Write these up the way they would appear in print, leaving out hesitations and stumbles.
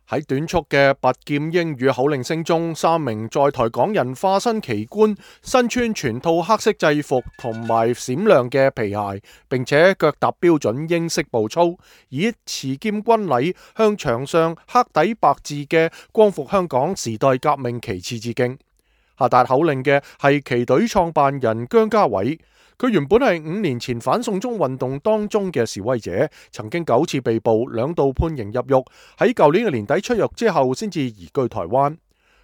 喺短促嘅拔劍英語口令聲中，3名在台港人化身奇觀，身穿全套黑色制服同埋閃亮嘅皮鞋，並且腳踏標準英式步操，以持劍軍禮向牆上黑底白字嘅光復香港時代革命旗幟致敬。下達口令嘅係旗隊創辦人姜家偉。佢原本係5年前反送中運動當中嘅示威者，曾經9次被捕，2度判刑入獄，喺舊年嘅年底出獄之後先至移居台灣。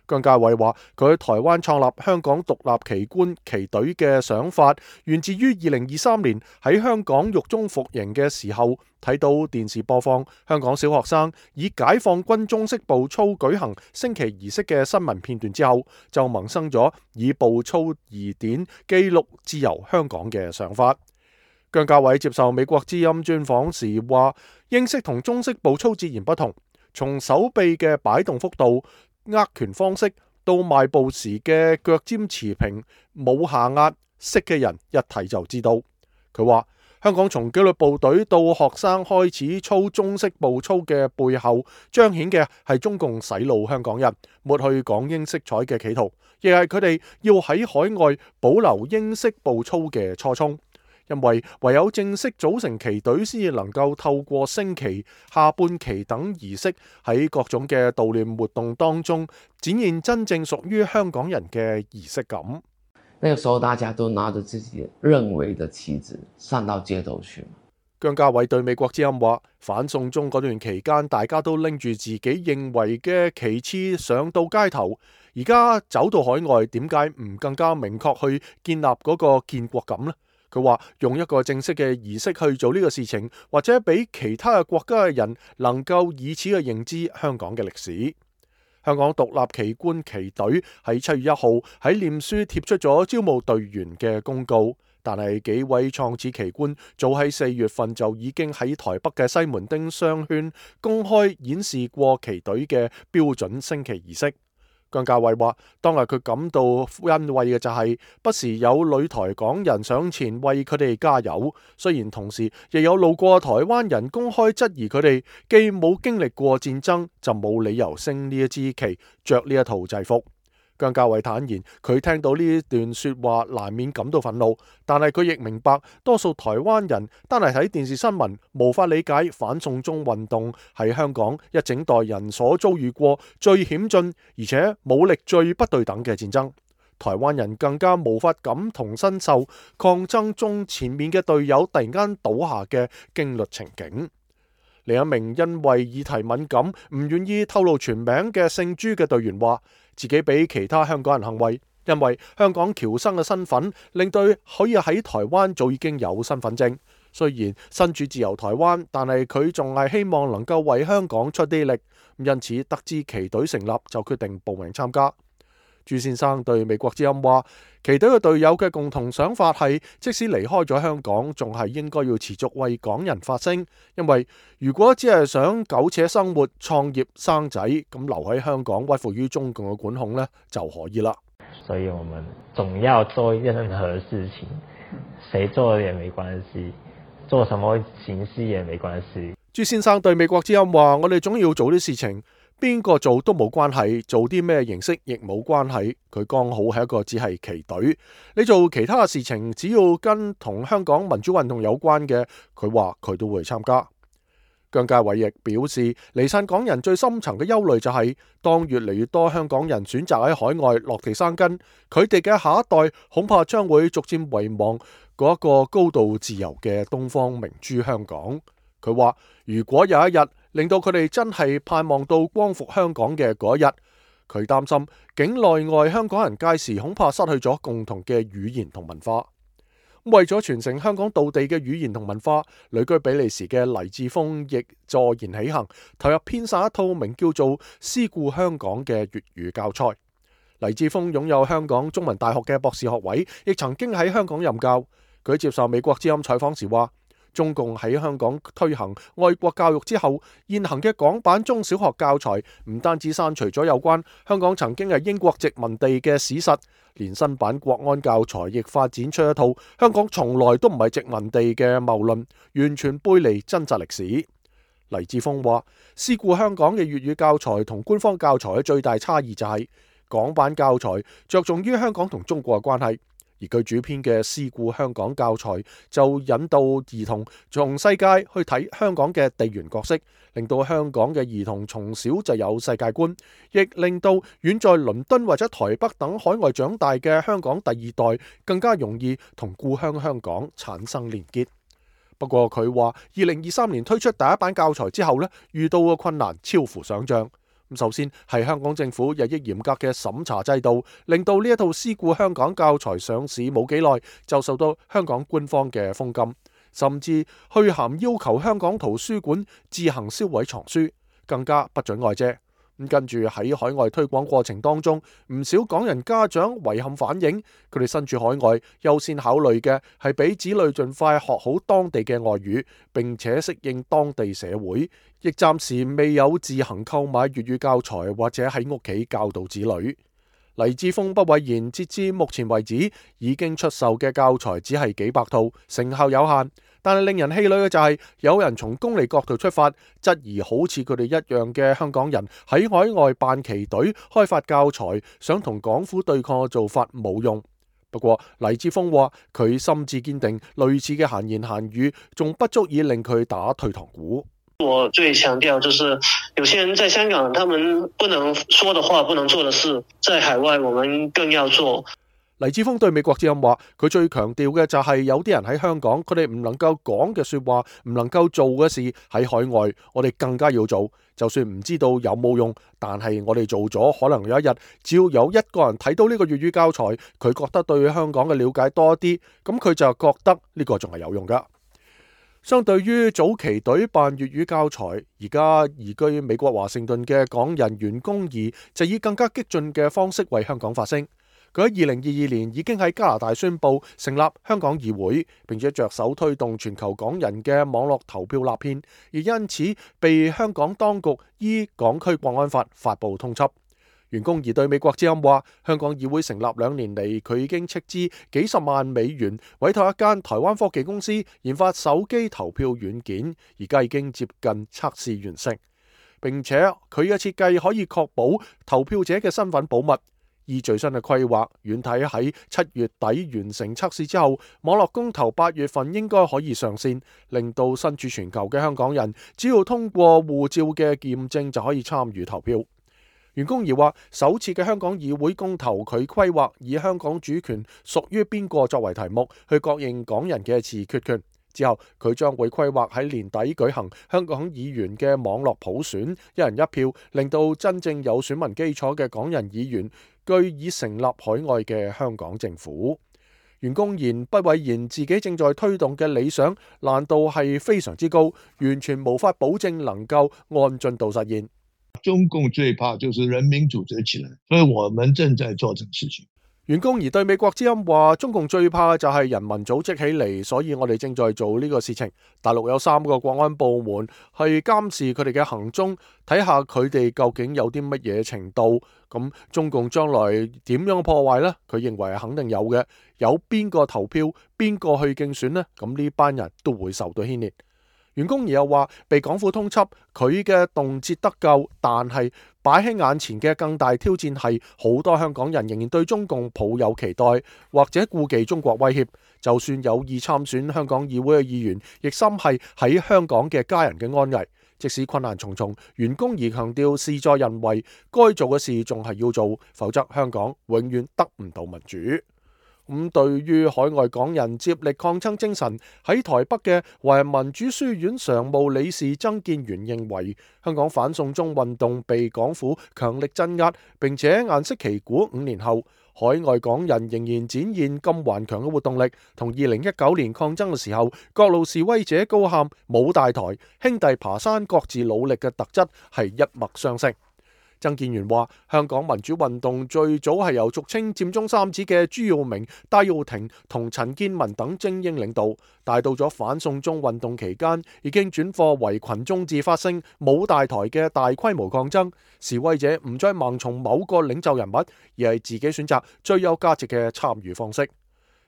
姜家偉話：佢喺台灣創立香港獨立旗官旗隊嘅想法，源自於2023年喺香港獄中服刑嘅時候，睇到電視播放香港小學生以解放軍中式步操舉行升旗儀式嘅新聞片段之後，就萌生咗以步操儀典記錄自由香港嘅想法。姜家偉接受美國之音專訪時話：英式同中式步操截然不同，從手臂嘅擺動幅度、握拳方式到邁步時嘅腳尖持平冇下壓，識嘅人一睇就知道。佢話香港從紀律部隊到學生開始操中式步操嘅背後，彰顯嘅係中共洗腦香港人、抹去港英色彩嘅企圖，亦係佢哋要喺海外保留英式步操嘅初衷。因為唯有正式組成旗隊，先至能夠透過升旗、下半旗等儀式，喺各種嘅悼念活動當中，展現真正屬於香港人嘅儀式感。那個時候大家都拿着自己認為的旗子上到街頭去。姜家偉對美國之音話：反送中嗰段期間，大家都拎住自己認為嘅旗幟上到街頭，而家走到海外，點解唔更加明確去建立嗰個建國感呢？佢話用一個正式嘅儀式去做呢個事情，或者俾其他嘅國家嘅人能夠以此去認知香港嘅歷史。香港獨立旗官旗隊喺7月1號喺臉書貼出咗招募隊員嘅公告，但係幾位創始旗官早喺4月份就已經喺台北嘅西門町商圈公開演示過旗隊嘅標準升旗儀式。姜家偉話：當日佢感到欣慰嘅就係不時有女台港人上前為佢哋加油，雖然同時亦有路過台灣人公開質疑佢哋既冇經歷過戰爭，就冇理由升呢一支旗，着呢一套制服。姜家偉坦言，佢聽到呢段說話難免感到憤怒，但係佢亦明白多數台灣人單係睇電視新聞無法理解反送中運動係香港一整代人所遭遇過最險峻而且武力最不對等嘅戰爭。台灣人更加無法感同身受抗爭中前面嘅隊友突然間倒下嘅驚慄情景。另一名因為議題敏感唔願意透露全名嘅姓朱嘅隊員話，自己比其他香港人幸運，因為香港僑生嘅身份令佢可以喺台灣早已經有身份證。雖然身處自由台灣，但係佢仲係希望能夠為香港出啲力，因此得知旗隊成立就決定報名參加。朱先生對美國之音話，旗隊嘅隊友嘅共同想法係，即使離開咗香港，仲係應該要持續為港人發聲，因為如果只係想苟且生活、創業、生仔，咁留喺香港屈服於中共嘅管控呢，就可以啦。所以我們總要做任何事情，誰做也沒關係，做什麼形式也沒關係。朱先生對美國之音話，我哋總要做啲事情。邊個做都冇關係，做啲咩形式亦冇關係。佢剛好係一個只係旗隊，你做其他嘅事情，只要跟同香港民主運動有關嘅，佢話佢都會參加。姜家偉亦表示，離散港人最深層嘅憂慮就係，當越嚟越多香港人選擇喺海外落地生根，佢哋嘅下一代恐怕將會逐漸遺忘嗰一個高度自由嘅東方明珠香港。佢話如果有一日令到佢哋真係盼望到光復香港嘅嗰一日，佢擔心境內外香港人屆時恐怕失去咗共同嘅語言同文化。為咗傳承香港道地嘅語言同文化，旅居比利時嘅黎智峰亦坐言起行，投入編纂一套名叫做《思故香港》嘅粵語教材。黎智峰擁有香港中文大學嘅博士學位，亦曾經喺香港任教。佢接受美國之音採訪時話，中共喺香港推行愛國教育之後，現行嘅港版中小學教材唔單止刪除咗有關香港曾經係英國殖民地嘅史實，連新版國安教材亦發展出一套香港從來都唔係殖民地嘅謬論，完全背離真實歷史。黎智峰話：思故香港嘅粵語教材同官方教材嘅最大差異就係港版教材着重於香港同中國嘅關係，而佢主編嘅思故香港教材就引導兒童從世界去睇香港嘅地緣角色，令到香港嘅兒童從小就有世界觀，亦令到遠在倫敦或者台北等海外長大嘅香港第二代更加容易同故鄉香港產生連結。不過佢話，2023年推出第一版教材之後遇到嘅困難超乎想象。首先係香港政府日益嚴格嘅審查制度，令到呢一套思故香港教材上市冇幾耐就受到香港官方嘅封禁，甚至去函要求香港圖書館自行銷毀藏書，更加不准外借。跟住喺海外推廣過程當中，唔少港人家長遺憾反映，佢哋身處海外，優先考慮嘅係俾子女盡快學好當地嘅外語，並且適應當地社會，亦暫時未有自行購買粵語教材或者喺屋企教導子女。黎智峰不諱言，截至目前為止，已經出售嘅教材只係幾百套，成效有限。但係令人氣餒嘅就係，有人從功利角度出發，質疑好似佢哋一樣嘅香港人喺海外辦旗隊開發教材，想同港府對抗嘅做法冇用。不過黎智峰話，佢心智堅定，類似嘅閒言閒語仲不足以令佢打退堂鼓。我最強調就是有些人在香港，他們不能說的話，不能做的事，在海外我們更要做。黎智峰對美國之音話，佢最強調嘅就係有啲人喺香港，佢哋唔能夠講嘅說話，唔能夠做嘅事，喺海外我哋更加要做。就算唔知道有冇用，但係我哋做咗，可能有一日只要有一個人睇到呢個粵語教材，佢覺得對香港嘅了解多啲，咁佢就覺得呢個仲係有用噶。相對於早期隊辦粵語教材，而家移居美國華盛頓嘅港人袁弓夷就以更加激進嘅方式為香港發聲。佢喺2022年已經喺加拿大宣布成立香港議會，並且着手推動全球港人嘅網絡投票立憲，而因此被香港當局依港區國安法發布通緝。袁弓夷對美國之音話，香港議會成立2年嚟，佢已經斥資幾十萬美元委託一間台灣科技公司研發手機投票軟件，而家已經接近測試完成，並且佢嘅設計可以確保投票者嘅身份保密。依最新嘅規劃，軟體喺7月底完成測試之後，網絡公投8月份應該可以上線，令到身處全球嘅香港人只要通過護照嘅驗證就可以參與投票。袁弓夷話，首次嘅香港議會公投，佢規劃以香港主權屬於邊個作為題目，去確認港人嘅自決權。之後佢將會規劃喺年底舉行香港議員嘅網絡普選，一人一票，令到真正有選民基礎嘅港人議員據以成立海外嘅香港政府。袁弓夷不諱言自己正在推動嘅理想難度係非常之高，完全無法保證能夠按進度實現。中共最怕就是人民組織起來，所以我們正在做這個事情。袁弓夷對美國之音話，中共最怕就係人民組織起嚟，所以我哋正在做呢個事情。大陸有3個國安部門係監視佢哋嘅行蹤，睇下佢哋究竟有啲乜嘢程度。咁中共將來點樣破壞呢？佢認為係肯定有嘅。有邊個投票，邊個去競選呢？咁呢班人都會受到牽連。袁弓夷又話，被港府通緝，佢嘅動輒得咎，但係擺喺眼前嘅更大挑戰係，好多香港人仍然對中共抱有期待，或者顧忌中國威脅。就算有意參選香港議會嘅議員，亦心係喺香港嘅家人嘅安危。即使困難重重，袁弓夷強調事在人為，該做嘅事仲係要做，否則香港永遠得唔到民主。咁對於海外港人接力抗爭精神，喺台北嘅華人民主書院常務理事曾建元認為，香港反送中運動被港府強力鎮壓，並且顏色旗鼓5年後，海外港人仍然展現咁頑強嘅活動力，同2019年抗爭嘅時候，各路示威者高喊冇大台，兄弟爬山各自努力嘅特質係一脈相承。曾建元話，香港民主運動最早係由俗稱佔中三子嘅朱耀明、戴耀廷同陳健民等精英領導，但到咗反送中運動期間，已經轉貨為群眾自發性冇大台嘅大規模抗爭，示威者唔再盲從某個領袖人物，而係自己選擇最有價值嘅參與方式。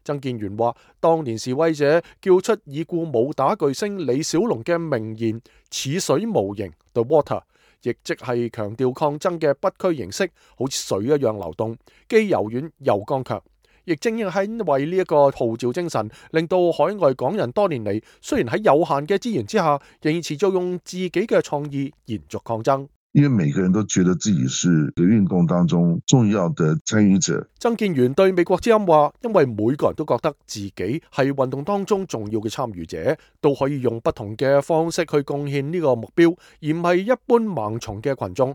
曾建元話，當年示威者叫出已故武打巨星李小龍嘅名言"似水無形 "，The Water， 亦即係強調抗爭嘅不屈形式，好似水一樣流動，既柔軟又剛強。亦正因係因為呢一個號召精神，令到海外港人多年嚟，雖然喺有限嘅資源之下，仍然持續用自己嘅創意延續抗爭。因為每個人都覺得自己是運動當中重要的參與者。曾建元對美國之音話，因為每個人都覺得自己係運動當中重要嘅參與者，都可以用不同嘅方式去貢獻呢個目標，而唔係一般盲從嘅群眾。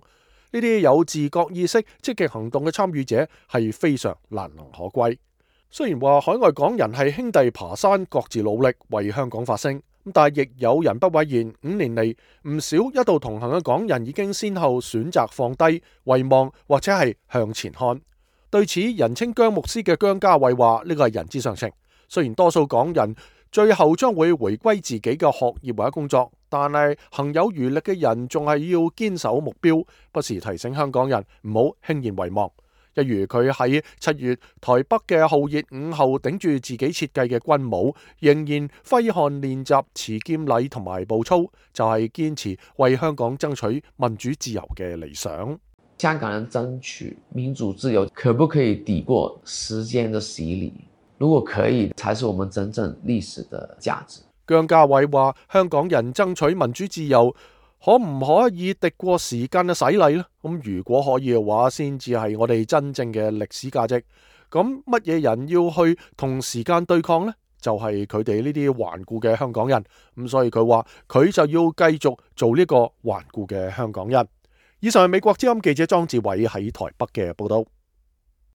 呢啲有自覺意識、積極行動嘅參與者係非常難能可貴。雖然話海外港人係兄弟爬山，各自努力為香港發聲，但係亦有人不諱言，5年嚟唔少一道同行嘅港人已經先後選擇放低、遺忘或者係向前看。對此，人稱姜牧師嘅姜家偉話：呢個係人之常情。雖然多數港人最後將會回歸自己嘅學業或者工作，但係行有餘力嘅人仲係要堅守目標，不時提醒香港人唔好輕言遺忘。一如佢喺7月台北嘅浩熱午後頂住自己設計嘅軍帽，仍然揮汗練習持劍禮同埋步操，就係堅持為香港爭取民主自由嘅理想。香港人爭取民主自由，可不可以抵過時間的洗禮？如果可以，才是我們真正歷史的價值。姜家偉話：香港人爭取民主自由，可唔可以敵過時間嘅洗禮呢？咁如果可以嘅話，先至係我哋真正嘅歷史價值。咁乜嘢人要去同時間對抗呢？就係佢哋呢啲頑固嘅香港人。咁所以佢話佢就要繼續做呢個頑固嘅香港人。以上係美國之音記者莊志偉喺台北嘅報道。